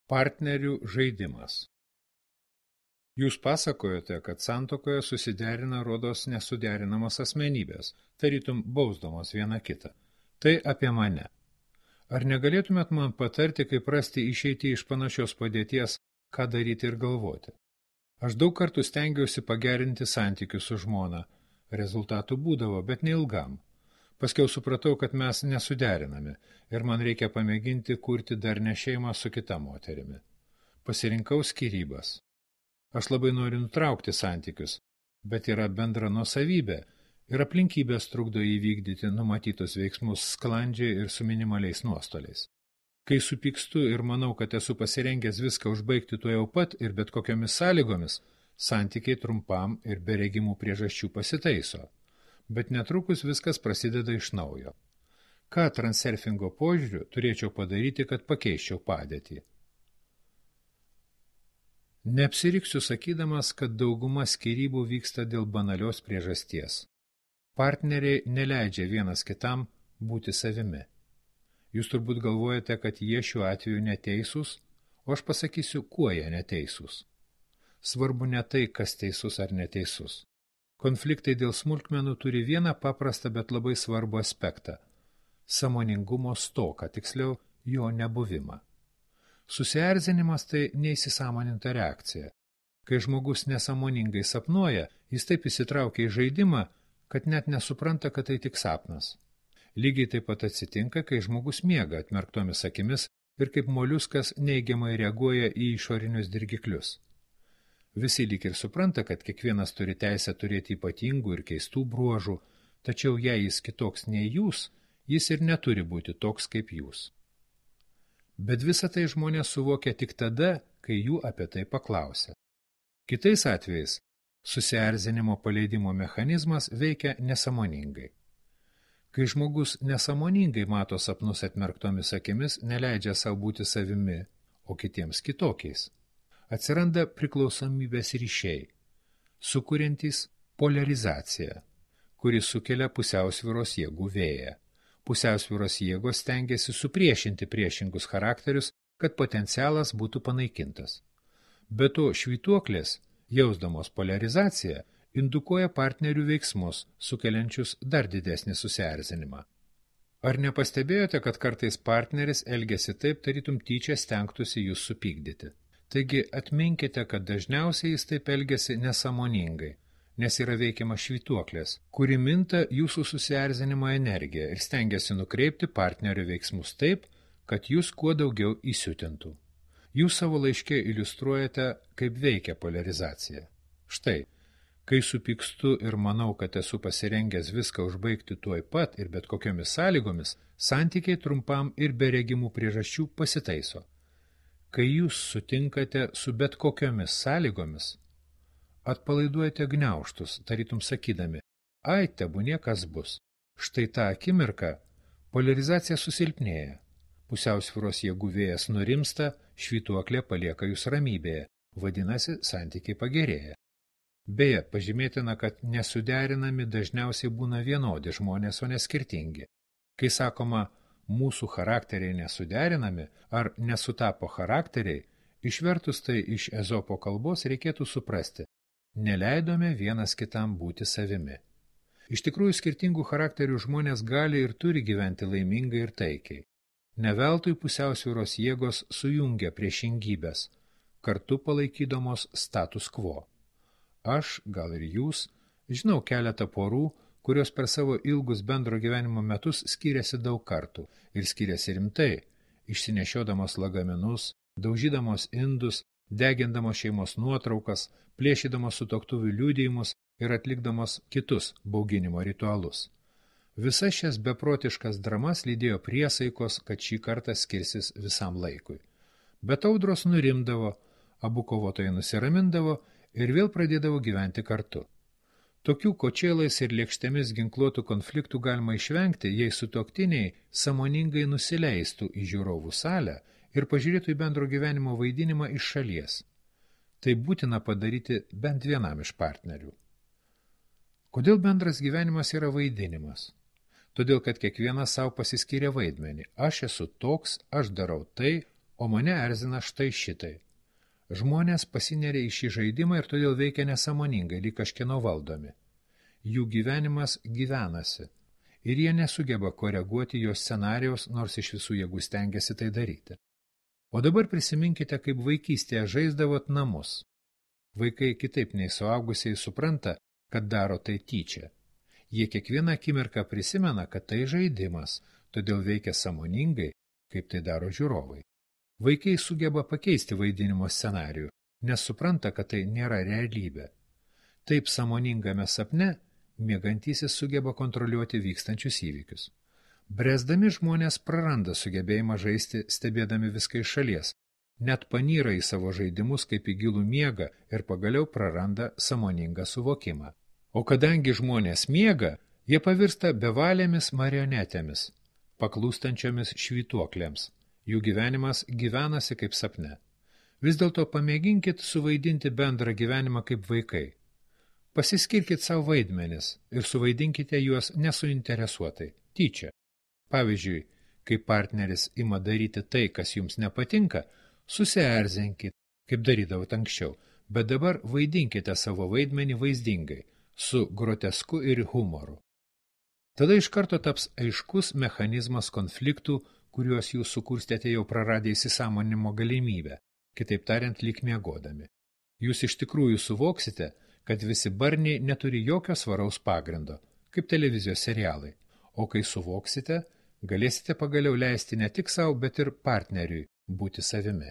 Partnerių žaidimas. Jūs pasakojote, kad santuokoje susiderina rodos nesuderinamos asmenybės, tarytum bausdamos viena kitą. Tai apie mane. Ar negalėtumėt man patarti, kaip rasti išeitį iš panašios padėties, ką daryti ir galvoti? Aš daug kartų stengiausi pagerinti santykius su žmona. Rezultatų būdavo, bet neilgam. Paskiau supratau, kad mes nesuderinami ir man reikia pamėginti kurti darnią šeimą su kita moterimi. Pasirinkau skyrybas. Aš labai noriu nutraukti santykius, bet yra bendra nuosavybė ir aplinkybės trukdo įvykdyti numatytus veiksmus sklandžiai ir su minimaliais nuostoliais. Kai supykstu ir manau, kad esu pasirengęs viską užbaigti tuojau pat ir bet kokiomis sąlygomis, santykiai trumpam ir be regimų priežasčių pasitaiso. Bet netrukus viskas prasideda iš naujo. Ką transurfingo požiūriu turėčiau padaryti, kad pakeiščiau padėtį? Neapsiriksiu sakydamas, kad dauguma skyrybų vyksta dėl banalios priežasties. Partneriai neleidžia vienas kitam būti savimi. Jūs turbūt galvojate, kad jie šiuo atveju neteisūs, o aš pasakysiu, kuo jie neteisūs. Svarbu ne tai, kas teisus ar neteisus. Konfliktai dėl smulkmenų turi vieną paprastą, bet labai svarbų aspektą – sąmoningumo stoką, tiksliau jo nebuvimą. Susierzinimas tai neįsisąmoninta reakcija. Kai žmogus nesąmoningai sapnuoja, jis taip įsitraukia į žaidimą, kad net nesupranta, kad tai tik sapnas. Lygiai taip pat atsitinka, kai žmogus miega atmerktomis akimis ir kaip moliuskas neigiamai reaguoja į išorinius dirgiklius. Visi lyg ir supranta, kad kiekvienas turi teisę turėti ypatingų ir keistų bruožų, tačiau jei jis kitoks nei jūs, jis ir neturi būti toks kaip jūs. Bet visą tai žmonės suvokia tik tada, kai jų apie tai paklausia. Kitais atvejais susierzinimo paleidimo mechanizmas veikia nesąmoningai. Kai žmogus nesąmoningai mato sapnus atmerktomis akimis, neleidžia savo būti savimi, o kitiems kitokiais. Atsiranda priklausomybės ryšiai, sukuriantys poliarizaciją, kuri sukelia pusiausvyros jėgų vėją. Pusiausvyros jėgos stengiasi supriešinti priešingus charakterius, kad potencialas būtų panaikintas. Be to, švytuoklės, jausdamos poliarizaciją, indukuoja partnerių veiksmus, sukeliančius dar didesnį susierzinimą. Ar nepastebėjote, kad kartais partneris elgiasi taip, tarytum tyčia stengtųsi jūs supykdyti? Taigi atminkite, kad dažniausiai jis taip elgiasi nesąmoningai, nes yra veikiama švytuoklės, kuri minta jūsų susierzinimo energiją ir stengiasi nukreipti partnerio veiksmus taip, kad jūs kuo daugiau įsiutintų. Jūs savo laiške iliustruojate, kaip veikia poliarizacija. Štai, kai supykstu ir manau, kad esu pasirengęs viską užbaigti tuoj pat ir bet kokiomis sąlygomis, santykiai trumpam ir be regimų priežasčių pasitaiso. Kai jūs sutinkate su bet kokiomis sąlygomis, atpalaiduojate gniaužtus, tarytum sakydami, ai, tebūnie kas bus. Štai tą akimirką poliarizacija susilpnėja. Pusiausvyros jėgų vėjas nurimsta, švytuoklė palieka jūs ramybėje, vadinasi, santykiai pagerėja. Beje, pažymėtina, kad nesuderinami dažniausiai būna vienodi žmonės, o ne skirtingi. Kai sakoma, mūsų charakteriai nesuderinami ar nesutapo charakteriai, išvertus tai iš Ezopo kalbos reikėtų suprasti, neleidome vienas kitam būti savimi. Iš tikrųjų, skirtingų charakterių žmonės gali ir turi gyventi laimingai ir taikiai. Neveltui pusiausvyros jėgos sujungia priešingybės, kartu palaikydamos status quo. Aš, gal ir jūs, žinau keletą porų, kurios per savo ilgus bendro gyvenimo metus skiriasi daug kartų ir skiriasi rimtai, išsinešiodamos lagaminus, daužydamos indus, degindamos šeimos nuotraukas, plėšydamos sutuoktuvių liudijimus ir atlikdamos kitus bauginimo ritualus. Visas šias beprotiškas dramas lydėjo priesaikos, kad šį kartą skirsis visam laikui. Bet audros nurimdavo, abu kovotojai nusiramindavo ir vėl pradėdavo gyventi kartu. Tokių kočėlais ir lėkštėmis ginkluotų konfliktų galima išvengti, jei sutuoktiniai sąmoningai nusileistų į žiūrovų salę ir pažiūrėtų į bendro gyvenimo vaidinimą iš šalies. Tai būtina padaryti bent vienam iš partnerių. Kodėl bendras gyvenimas yra vaidinimas? Todėl, kad kiekvienas savo pasiskiria vaidmenį. Aš esu toks, aš darau tai, o mane erzina štai šitai. Žmonės pasineria į šį žaidimą ir todėl veikia nesąmoningai, lyg kažkieno valdomi. Jų gyvenimas gyvenasi ir jie nesugeba koreguoti jos scenarijaus, nors iš visų jėgų stengiasi tai daryti. O dabar prisiminkite, kaip vaikystėje žaisdavot namus. Vaikai kitaip nei suaugusiai supranta, kad daro tai tyčia. Jie kiekvieną akimirką prisimena, kad tai žaidimas, todėl veikia sąmoningai, kaip tai daro žiūrovai. Vaikai sugeba pakeisti vaidinimo scenarijų, nes supranta, kad tai nėra realybė. Taip sąmoningame sapne miegantysis sugeba kontroliuoti vykstančius įvykius. Bręsdami žmonės praranda sugebėjimą žaisti, stebėdami viską iš šalies, net panyra į savo žaidimus kaip į gilų miegą ir pagaliau praranda sąmoningą suvokimą. O kadangi žmonės miega, jie pavirsta bevalėmis marionetėmis, paklūstančiomis švytuoklėms. Jų gyvenimas gyvenasi kaip sapne. Vis dėlto pamėginkit suvaidinti bendrą gyvenimą kaip vaikai. Pasiskirkit savo vaidmenis ir suvaidinkite juos nesuinteresuotai, tyčia. Pavyzdžiui, kai partneris ima daryti tai, kas jums nepatinka, susierzinkit, kaip darydavot anksčiau, bet dabar vaidinkite savo vaidmenį vaizdingai, su grotesku ir humoru. Tada iš karto taps aiškus mechanizmas konfliktų, kuriuos jūs sukurstėte jau praradę įsisąmonimo galimybę, kitaip tariant, lyg miegodami. Jūs iš tikrųjų suvoksite, kad visi barniai neturi jokio svaraus pagrindo, kaip televizijos serialai, o kai suvoksite, galėsite pagaliau leisti ne tik savo, bet ir partneriui būti savimi.